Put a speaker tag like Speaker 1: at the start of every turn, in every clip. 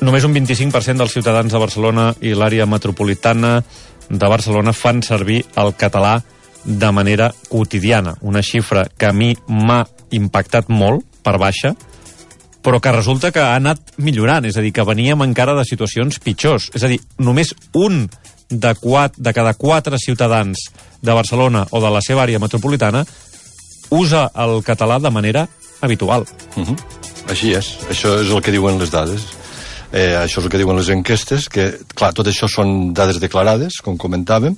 Speaker 1: Només un 25% dels ciutadans de Barcelona i l'àrea metropolitana de Barcelona fan servir el català de manera quotidiana. Una xifra que a mi m'ha impactat molt, per baixa, però que resulta que ha anat millorant, és a dir, que veníem encara de situacions pitjors. És a dir, només un de cada 4 ciutadans de Barcelona o de la seva àrea metropolitana usa el català de manera habitual.
Speaker 2: Així és. Això és el que diuen les dades. Això és el que diuen les enquestes, que, clar, tot això són dades declarades, com comentàvem,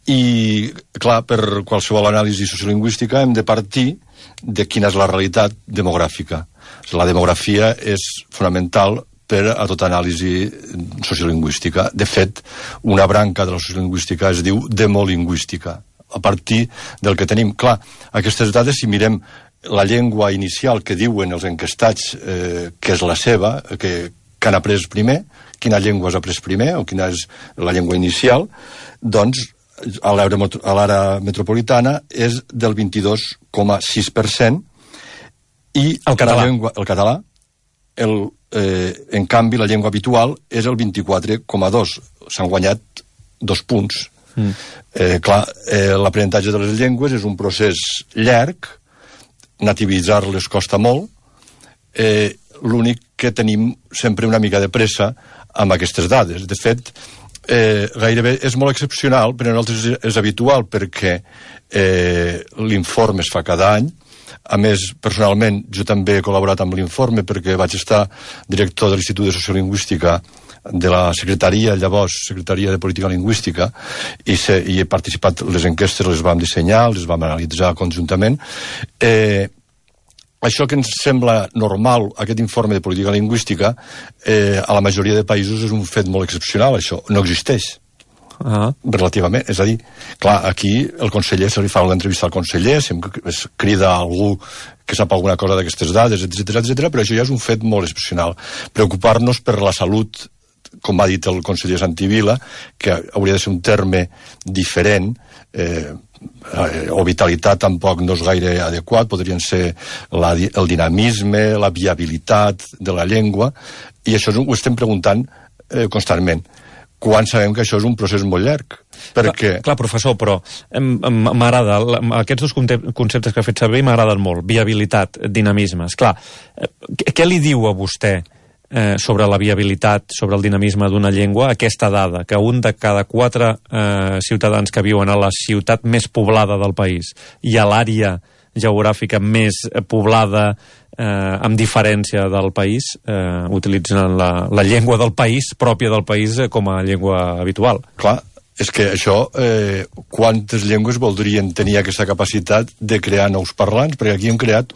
Speaker 2: i, clar, per qualsevol anàlisi sociolingüística hem de partir de quina és la realitat demogràfica. La demografia és fonamental per a tota anàlisi sociolingüística. De fet, una branca de la sociolingüística es diu demolingüística, a partir del que tenim. Clar, aquestes dades, si mirem la llengua inicial que diuen els enquestats que és la seva, que han après primer, quina llengua has après primer, o quina és la llengua inicial, doncs a l'àrea metropolitana és del 22,6%, i
Speaker 1: el català.
Speaker 2: El català, en canvi, la llengua habitual és el 24,2%. S'han guanyat 2 punts. Clar, l'aprenentatge de les llengües és un procés llarg, nativitzar-les costa molt, l'únic que tenim sempre una mica de pressa amb aquestes dades. De fet, gairebé és molt excepcional, però en altres és habitual, perquè l'informe es fa cada any. A més, personalment, jo també he col·laborat amb l'informe perquè vaig estar director de l'Institut de Sociolingüística de la Secretaria, llavors Secretaria de Política Lingüística, i he participat, les enquestes les vam dissenyar, les vam analitzar conjuntament. Això que ens sembla normal, aquest informe de política lingüística, a la majoria de països és un fet molt excepcional, això no existeix. Relativament, és a dir, clar, aquí el conseller, se li fa una entrevista al conseller, sempre es crida a algú que sap alguna cosa d'aquestes dades, etc, però això ja és un fet molt excepcional. Preocupar-nos per la salut, com ha dit el conseller Santivila, que hauria de ser un terme diferent, o vitalitat tampoc no és gaire adequat, podrien ser el dinamisme, la viabilitat de la llengua, i això ho estem preguntant constantment, quan sabem que això és un procés molt llarg. Perquè...
Speaker 1: Clar, professor, però m'agrada, aquests 2 conceptes que ha fet servir m'agraden molt, viabilitat, dinamisme. Esclar, què li diu a vostè sobre la viabilitat, sobre el dinamisme d'una llengua, aquesta dada, que un de cada 4 ciutadans que viuen a la ciutat més poblada del país i a l'àrea geogràfica més poblada amb diferència del país, utilitzen la llengua del país, pròpia del país, com a llengua habitual.
Speaker 2: Clar, és que això, quantes llengües voldrien tenir aquesta capacitat de crear nous parlants? Perquè aquí hem creat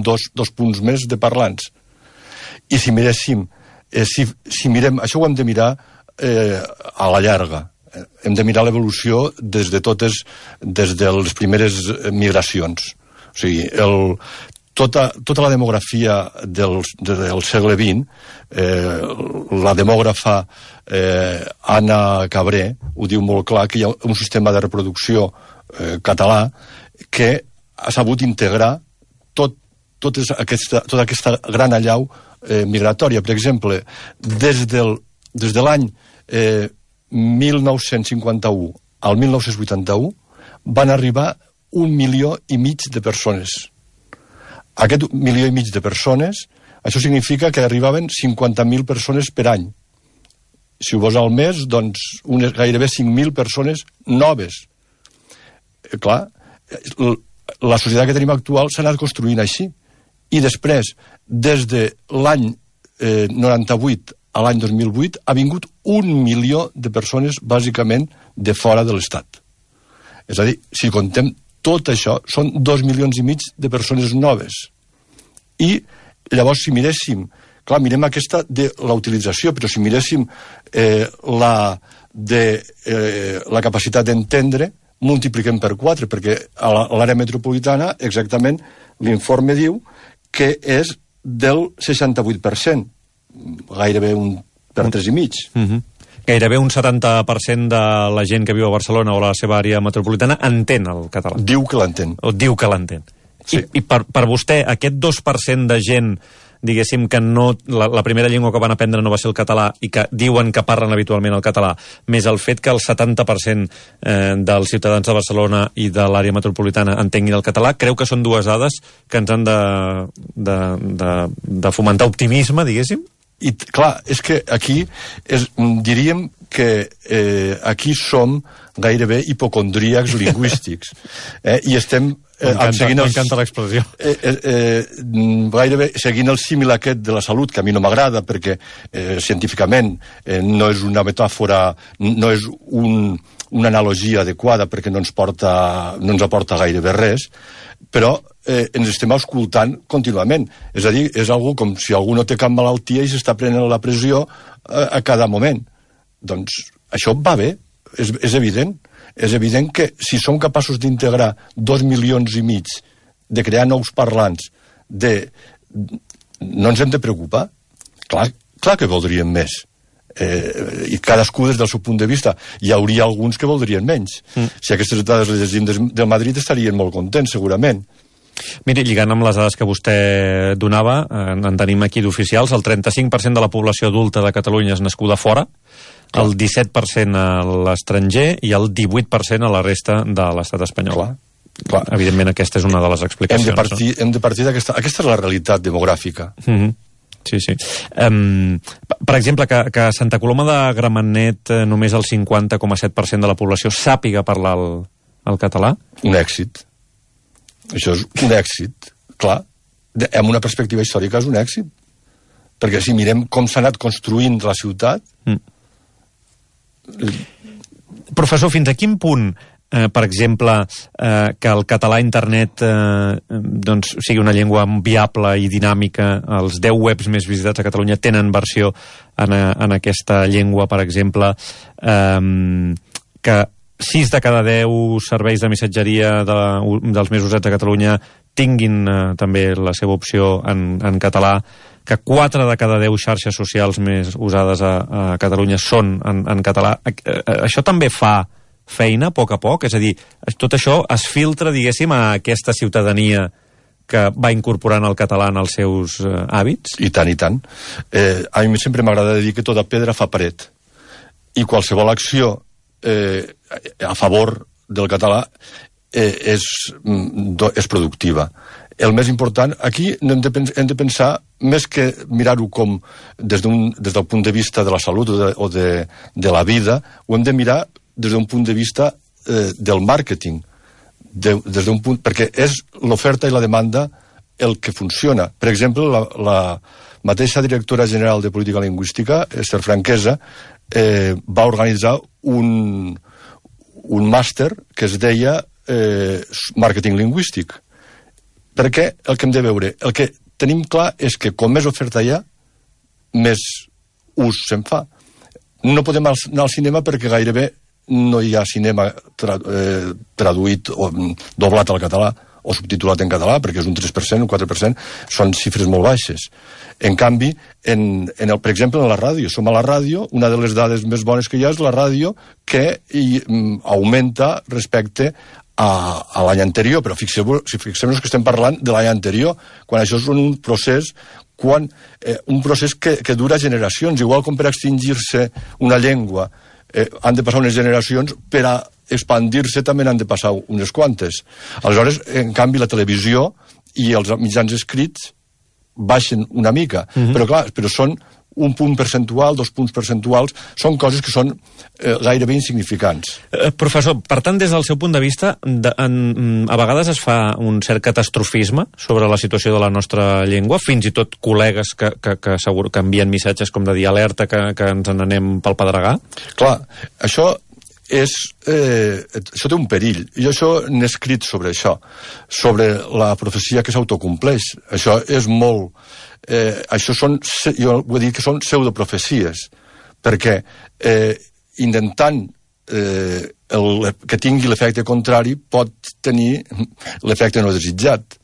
Speaker 2: dos punts més de parlants. I si miréssim, si mirem, això ho hem de mirar a la llarga. Hem de mirar l'evolució des de les primeres migracions. O sigui, tota la demografia del segle XX, la demògrafa Anna Cabré ho diu molt clar, que hi ha un sistema de reproducció català que ha sabut integrar tota aquesta gran allau migratòria. Per exemple, des de l'any 1951 al 1981 van arribar 1,5 milió de persones. Aquest 1,5 milió de persones, això significa que arribaven 50.000 persones per any. Si ho vols al mes, doncs gairebé 5.000 persones noves. Clar, la societat que tenim actual s'ha anat construint així. I després, des de l'any 98 a l'any 2008, ha vingut 1 milió de persones, bàsicament, de fora de l'Estat. És a dir, si contem tot això, són 2,5 milions de persones noves. I llavors, si miréssim, clar, mirem aquesta de la utilització, però si miréssim la capacitat d'entendre, multipliquem per 4, perquè a l'àrea metropolitana, exactament, l'informe diu que és del 68%, gairebé un per 3,5.
Speaker 1: Gairebé un 70% de la gent que viu a Barcelona o a la seva àrea metropolitana entén el català.
Speaker 2: Diu que l'entén.
Speaker 1: O diu que l'entén.
Speaker 2: Sí.
Speaker 1: I per vostè, aquest 2% de gent diguéssim, que no, la primera llengua que van aprendre no va ser el català i que diuen que parlen habitualment el català, més el fet que el 70% dels ciutadans de Barcelona i de l'àrea metropolitana entenguin el català, creu que són dues dades que ens han de fomentar optimisme, diguéssim?
Speaker 2: I clar, és que aquí diríem que aquí som gairebé hipocondríacs lingüístics i estem
Speaker 1: m'encanta l'expressió
Speaker 2: gairebé seguint el símil aquest de la salut, que a mi no m'agrada perquè científicament no és una metàfora, no és una analogia adequada perquè no ens aporta gairebé res, però ens estem escoltant contínuament. És a dir, és algú com si algú no té cap malaltia i s'està prenent la pressió a cada moment. Doncs això va bé, és evident. És evident que si som capaços d'integrar 2,5 milions, de crear nous parlants, no ens hem de preocupar. Clar que voldríem més. I cadascú des del seu punt de vista. Hi hauria alguns que voldrien menys. Si aquestes dades les llegim del Madrid estarien molt contents, segurament.
Speaker 1: Miri, lligant amb les dades que vostè donava, en tenim aquí d'oficials, el 35% de la població adulta de Catalunya és nascuda fora, el 17% a l'estranger i el 18% a la resta de l'estat espanyol. Clar. Evidentment, aquesta és una de les explicacions.
Speaker 2: Hem de partir d'aquesta... Aquesta és la realitat demogràfica.
Speaker 1: Sí. Per exemple, que a Santa Coloma de Gramenet només el 50,7% de la població sàpiga parlar el català?
Speaker 2: Un èxit. Això és un èxit, clar. En una perspectiva històrica és un èxit. Perquè si mirem com s'ha anat construint la ciutat...
Speaker 1: Professor, fins a quin punt, per exemple, que el català a internet doncs, sigui una llengua viable i dinàmica, els 10 webs més visitats a Catalunya tenen versió en aquesta llengua, per exemple, que 6 de cada 10 serveis de missatgeria dels més usats a Catalunya tinguin també la seva opció en català, que 4 de cada 10 xarxes socials més usades a Catalunya són en català. Això també fa feina a poc? És a dir, tot això es filtra, diguéssim, a aquesta ciutadania que va incorporant el català en els seus hàbits?
Speaker 2: I tant, i tant. A mi sempre m'agrada dir que tota pedra fa paret. I qualsevol acció a favor del català és productiva. El més important, aquí hem de pensar, més que mirar-ho com des del punt de vista de la salut o de la vida, ho hem de mirar des d'un punt de vista del màrqueting, perquè és l'oferta i la demanda el que funciona. Per exemple, la mateixa directora general de Política Lingüística, Esther Franquesa, va organitzar un màster que es deia màrqueting lingüístic. Perquè el que hem de veure, el que tenim clar és que com més oferta hi ha, més ús se'n fa. No podem anar al cinema perquè gairebé no hi ha cinema traduït o doblat al català o subtitulat en català, perquè és un 3%, un 4%, són xifres molt baixes. En canvi, per exemple, en la ràdio. Som a la ràdio, una de les dades més bones que hi ha és la ràdio que augmenta respecte a l'any anterior, però fixem-nos que estem parlant de l'any anterior, quan això és un procés que dura generacions, igual com per extingir-se una llengua han de passar unes generacions, per a expandir-se també n'han de passar unes quantes. Aleshores, en canvi, la televisió i els mitjans escrits baixen una mica, però són un punt percentual, 2 punts percentuals, són coses que són gairebé insignificants.
Speaker 1: Professor, per tant, des del seu punt de vista, a vegades es fa un cert catastrofisme sobre la situació de la nostra llengua, fins i tot col·legues que segur que envien missatges com de dir alerta que ens n'anem pel pedregar?
Speaker 2: Clar, això té un perill. Jo n'he escrit sobre això, sobre la profecia que s'autocompleix. Això és molt... jo vull dir que són pseudoprofecies, perquè intentant que tingui l'efecte contrari pot tenir l'efecte no desitjat.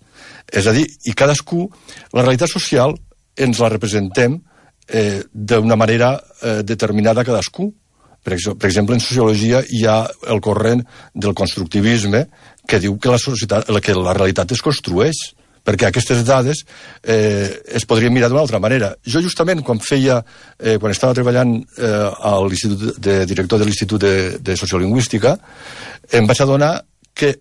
Speaker 2: És a dir, i cadascú, la realitat social ens la representem d'una manera determinada cadascú. Per exemple, en sociologia hi ha el corrent del constructivisme que diu que la realitat es construeix perquè aquestes dades es podrien mirar d'una altra manera. Jo justament quan estava treballant a l'Institut de director de l'Institut de Sociolingüística, em vaig adonar que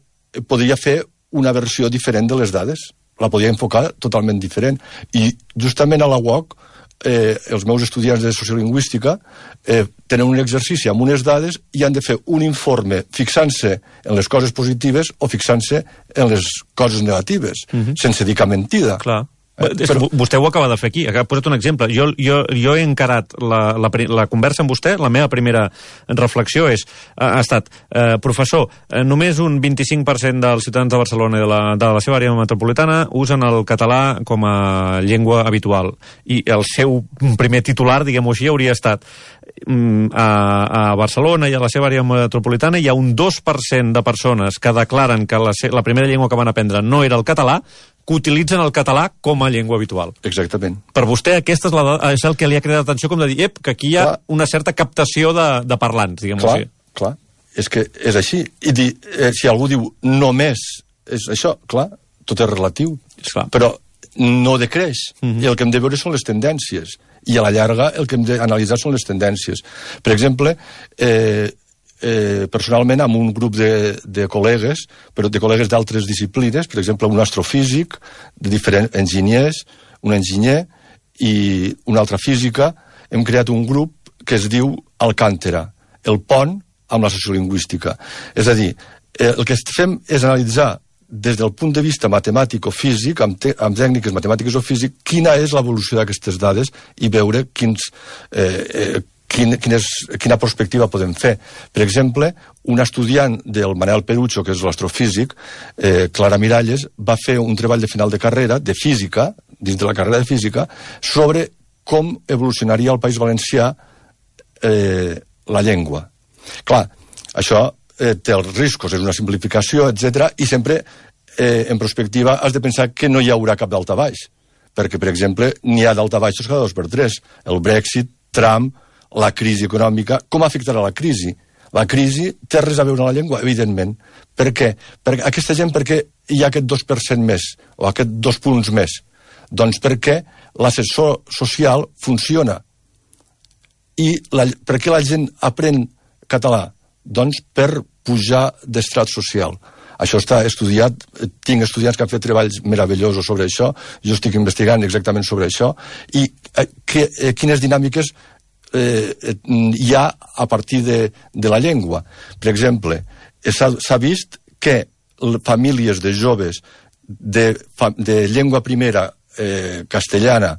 Speaker 2: podria fer una versió diferent de les dades, la podia enfocar totalment diferent, i justament a la UOC els meus estudiants de sociolingüística tenen un exercici amb unes dades i han de fer un informe fixant-se en les coses positives o fixant-se en les coses negatives, sense dir cap mentida.
Speaker 1: Clar. Però vostè ho acaba de fer aquí, ha posat un exemple. Jo he encarat la conversa amb vostè, la meva primera reflexió ha estat, professor, només un 25% dels ciutadans de Barcelona i de la seva àrea metropolitana usen el català com a llengua habitual. I el seu primer titular, diguem-ho així, hauria estat a Barcelona i a la seva àrea metropolitana hi ha un 2% de persones que declaren que la primera llengua que van aprendre no era el català, que utilitzen el català com a llengua habitual.
Speaker 2: Exactament.
Speaker 1: Per vostè, aquesta és el que li ha cridat atenció, com de dir, que aquí hi ha una certa captació de parlants, diguem-ho així.
Speaker 2: Clar, és que és així. I dir, si algú diu només és això, clar, tot és relatiu. Però no decreix. I el que hem de veure són les tendències. I a la llarga el que hem d'analitzar són les tendències. Per exemple, personalment amb un grup de col·legues, però de col·legues d'altres disciplines, per exemple un astrofísic, de diferents enginyers, un enginyer i una altra física, hem creat un grup que es diu Alcàntera, el pont amb la sociolingüística. És a dir, el que fem és analitzar des del punt de vista matemàtic o físic, amb tècniques matemàtiques o físic, quina és l'evolució d'aquestes dades i veure quina perspectiva podem fer. Per exemple, un estudiant del Manel Perucho, que és l'astrofísic, Clara Miralles, va fer un treball de final de carrera, de física, dins de la carrera de física, sobre com evolucionaria al País Valencià la llengua. Clar, això té els riscos, és una simplificació, etc. I sempre, en perspectiva, has de pensar que no hi haurà cap daltabaix, perquè, per exemple, n'hi ha daltabaixos cada 2 per 3. El Brexit, Trump, la crisi econòmica. Com afectarà la crisi? La crisi té res a veure amb la llengua, evidentment. Per què? Perquè aquesta gent, per què hi ha aquest 2% més, o aquest 2 punts més? Doncs perquè l'ascensor social funciona. I per què la gent aprèn català? Doncs per pujar d'estrat social. Això està estudiat, tinc estudiants que han fet treballs meravellosos sobre això, jo estic investigant exactament sobre això, i quines dinàmiques hi ha a partir de la llengua. Per exemple, s'ha vist que famílies de joves de llengua primera castellana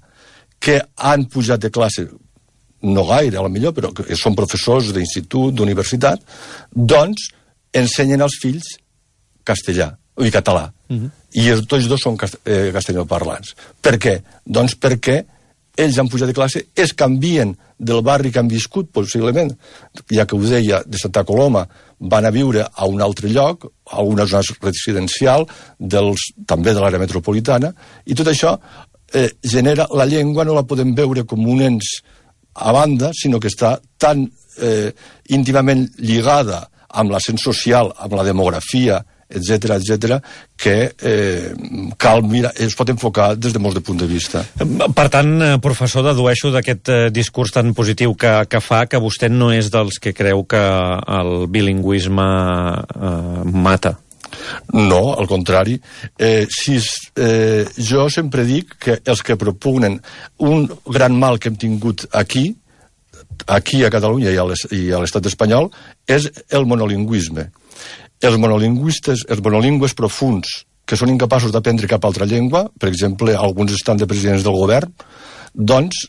Speaker 2: que han pujat de classe, no gaire, a la millor, però que són professors d'institut, d'universitat, doncs ensenyen als fills castellà, o català. I tots dos són castellanoparlants. Per què? Doncs perquè ells han pujat de classe, es canvien del barri que han viscut, possiblement, ja que ho deia, de Santa Coloma, van a viure a un altre lloc, a una zona residencial, també de l'àrea metropolitana, i tot això genera... La llengua no la podem veure com un ens a banda, sinó que està tan íntimament lligada amb l'ascens social, amb la demografia, etc., que cal mirar, es pot enfocar des de molts de punts de vista.
Speaker 1: Per tant, professor, dedueixo d'aquest discurs tan positiu que fa que vostè no és dels que creu que el bilingüisme mata.
Speaker 2: No, al contrari. Jo sempre dic que els que propugnen un gran mal que hem tingut aquí a Catalunya i a l'estat espanyol, és el monolingüisme. Els monolingües profuns, que són incapaços d'aprendre cap altra llengua, per exemple, alguns estan de presidents del govern, doncs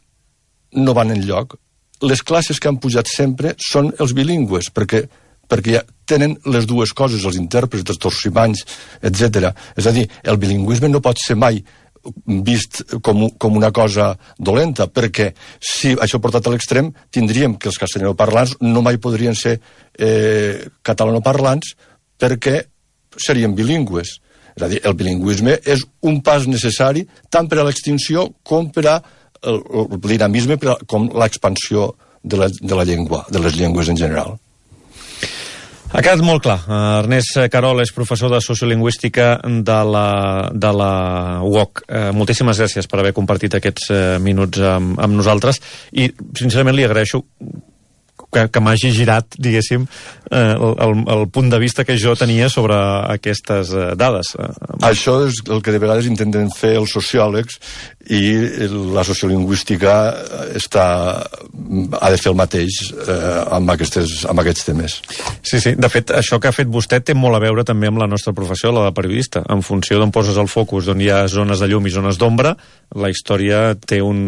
Speaker 2: no van enlloc. Les classes que han pujat sempre són els bilingües, perquè ja tenen les dues coses, els intèrprets, els torsimanys, etc. És a dir, el bilingüisme no pot ser mai vist com una cosa dolenta, perquè si això portat a l'extrem, tindríem que els castellanoparlants no mai podrien ser catalanoparlants, perquè serien bilingües. És a dir, el bilingüisme és un pas necessari tant per a l'extinció com per al dinamisme, com l'expansió de la llengua, de les llengües en general.
Speaker 1: Ha quedat molt clar. Ernest Querol és professor de Sociolingüística de la UOC. Moltíssimes gràcies per haver compartit aquests minuts amb nosaltres i, sincerament, li agraeixo que m'hagi girat, diguéssim, el punt de vista que jo tenia sobre aquestes dades.
Speaker 2: Això és el que de vegades intenten fer els sociòlegs i la sociolingüística ha de fer el mateix amb aquests temes.
Speaker 1: Sí, de fet, això que ha fet vostè té molt a veure també amb la nostra professió, la de periodista. En funció d'on poses el focus, d'on hi ha zones de llum i zones d'ombra, la història té un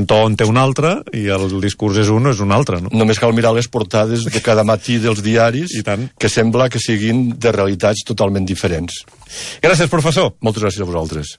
Speaker 1: to on té un altre i el discurs és un o és un altre. No?
Speaker 2: Només cal mirar les portades de cada matí dels diaris, que sembla que siguin de realitats totalment diferents.
Speaker 1: Gràcies, professor.
Speaker 2: Moltes gràcies a vosaltres.